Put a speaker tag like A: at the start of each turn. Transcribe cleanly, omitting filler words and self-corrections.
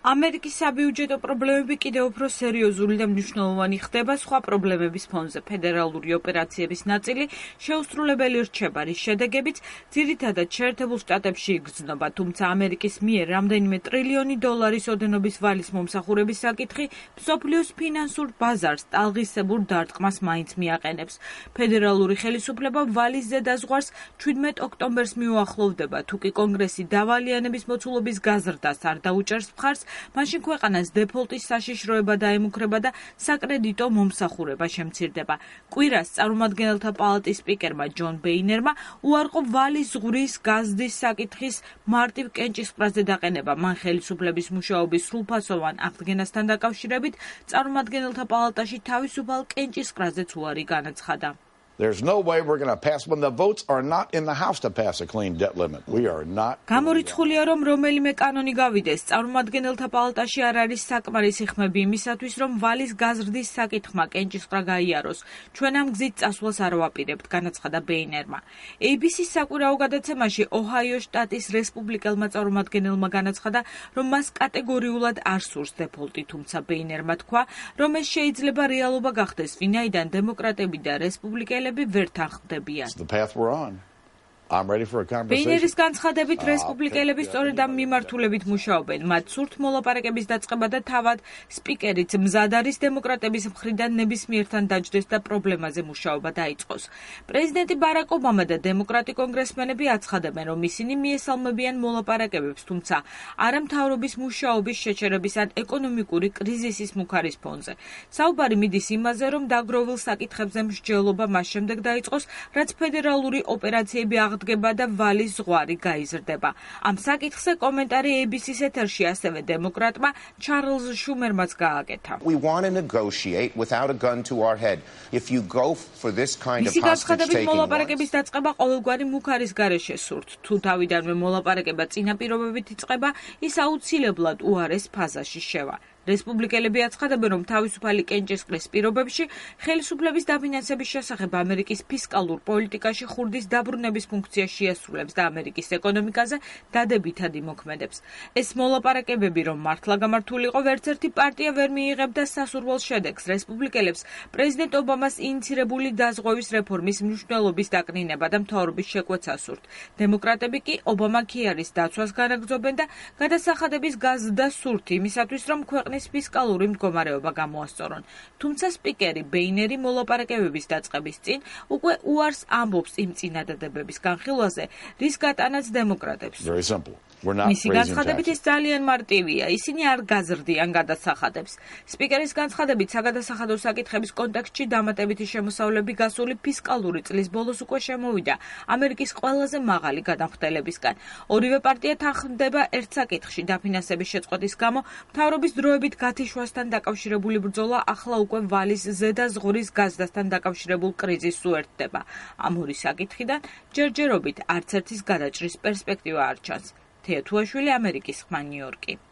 A: ამერიკის საბიუჯეტო პრობლემები კიდევ უფრო სერიოზული და მნიშვნელოვანი ხდება სხვა პრობლემების ფონზე. ფედერალური ოპერაციების ნაწილი შეუსრულებელი რჩება, რის შედეგებიც ძირითადად შეერთებულ შტატებში იგრძნობა, თუმცა ამერიკის მიერ რამდენიმე ტრილიონი დოლარის ოდენობის ვალის მომსახურების საკითხი მსოფლიოს ფინანსურ ბაზარს ტალღისებურ დარტყმას მაინც მიაყენებს. ფედერალური ხელისუფლება ვალის ზედაზღვარს 17 ოქტომბერს მიუახლოვდება, თუკი კონგრესი დავალიანების მოცულობის გაზრდას არ დაუჭერს მხარს, მაშინ ქვეყანას დეფოლტის საშიშროება დაემუქრება და საკრედიტო მომსახურება შემცირდება. კვირას წარმომადგენელთა პალატის სპიკერმა ჯონ ბეინერმა უარყო ვალის ზღვრის გაზრდის საკითხის მარტივ კენჭისყრაზე დაყენება. მან ხელისუფლების მუშაობის სრულფასოვან აღდგენასთან დაკავშირებით წარმომადგენელთა პალატაში თავისუფალ კენჭისყრაზეც უარი განაცხადა.
B: There's no way we're going to pass when the votes are not in the House to pass a clean debt limit. We are not.
A: გამორიცხულია, რომ რომელიმე კანონი გავიდეს, წარმომადგენელთა პალატაში არ არის საკმარისი ხმები იმისათვის, რომ ვალის გაზრდის საკითხმა კენჭისყრა გაიაროს. ჩვენ ამ გზით წასვლას არ ვაპირებთ, განაცხადა ბეინერმა. ABC-ს საკვირაო გადაცემაში ოჰაიოს შტატის რესპუბლიკელმა წარმომადგენელმა განაცხადა, რომ მას კატეგორიულად არ სურს დეფოლტი, თუმცა ბეინერმა თქვა, რომ ეს შეიძლება რეალობა გახდეს, ვინაიდან დემოკრატები და რესპუბლიკელები ვერ თანხმდებიან. ბეინერის განცხადებით რესპუბლიკელები სწორედ ამ მიმართულებით მუშაობენ. მათ სურთ მოლაპარაკების დაწყება და თავად სპიკერიც მზად არის დემოკრატების მხრიდან ნებისმიერთან დაჯდეს და პრობლემაზე მუშაობა დაიწყოს. პრეზიდენტი ბარაკ ობამა და დემოკრატი კონგრესმენები აცხადებენ, რომ ისინი მიესალმებიან მოლაპარაკებებს, თუმცა არა მთავრობის მუშაობის შეჩერების ან ეკონომიკური კრიზისის მუქარის ფონზე. საუბარი მიდის იმაზე, რომ დაგროვილ საკითხებზე მსჯელობა მას შემდეგ დაიწყოს, რაც ფედერალური ოპერაციები აღდგება და ვალის ზღვარი გაიზრდება. ამ საკითხზე კომენტარი ABC-ს ეთერში ასევე დემოკრატმა ჩარლზ შუმერმაც გააკეთა. მისი განცხადებით მოლაპარაკების დაწყება ყოველგვარი მუქარის გარეშე სურთ. თუ თავიდანვე მოლაპარაკება წინა პირობებით იწყება, ის აუცილებლად უარეს ფაზაში შევა. რესპუბლიკელები აცხადებენ, რომ თავისუფალი კენჭისყრის პირობებში ხელისუფლების დაფინანსების შესახებ ამერიკის ფისკალურ პოლიტიკაში ხურდის დაბრუნების ფუნქციას შეასრულებს და ამერიკის ეკონომიკაზე დადებითად იმოქმედებს. ეს მოლაპარაკებები, რომ მართლა გამართულიყო, ვერცერთი პარტია ვერ მიიღებდა სასურველ შედეგს. რესპუბლიკელებს პრეზიდენტ ობამას ინიცირებული დაზღვევის რეფორმის მნიშვნელობის დაკნინება და მთავრობის შეკვეცა სურთ. დემოკრატები კი ობამა ქიარის დაცვას განაგრძობენ და გადასახადების გაზრდა სურთ იმისათვის, რომ ქვეყნის ფისკალური მდგომარეობა გამოასწორონ. თუმცა სპიკერი ბეინერი მოლაპარაკებების დაწყების წინ უკვე უარს ამბობს იმ წინადადებების განხილვაზე, რის გატანაც დემოკრატებს. მისი განცხადებით ეს ძალიან მარტივია. ისინი არ გაზრდიან გადასახადებს. სპიკერის განცხადებით საგადასახადო საკითხების კონტექსტში დამატებითი შემოსავლები გასული ფისკალური წლის ბოლოს უკვე შემოვიდა ამერიკის ყველაზე მაღალი გადამხდელებისგან. ორივე პარტია თანხმდება ერთ საკითხში დაფინანსების შეწყვეტის გამო მთავრობის დროებით გათიშვასთან დაკავშირებული ბრძოლა ახლა უკვე ვალის ზედაზღვრის გაზრდასთან დაკავშირებულ კრიზისს უერთდება. ამ ორი საკითხიდან ჯერჯერობით არც ერთის გადაჭრის პერსპექტივა არ ჩანს. თეათუაშვილი, ამერიკის ხმა, ნიუ-იორკი.